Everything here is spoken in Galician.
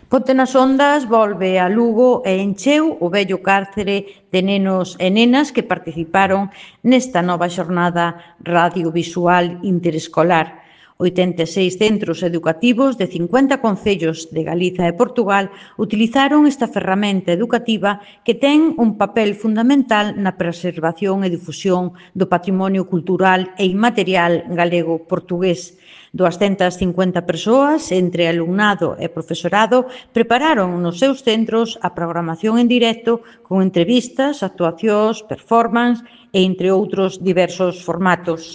Ponte nas Ondas volve a Lugo e encheu o vello cárcere de nenos e nenas que participaron nesta nova xornada radiovisual interescolar. 86 centros educativos de 50 concellos de Galiza e Portugal utilizaron esta ferramenta educativa que ten un papel fundamental na preservación e difusión do patrimonio cultural e inmaterial galego-portugués. 250 persoas, entre alumnado e profesorado, prepararon nos seus centros a programación en directo con entrevistas, actuacións, performance e entre outros diversos formatos.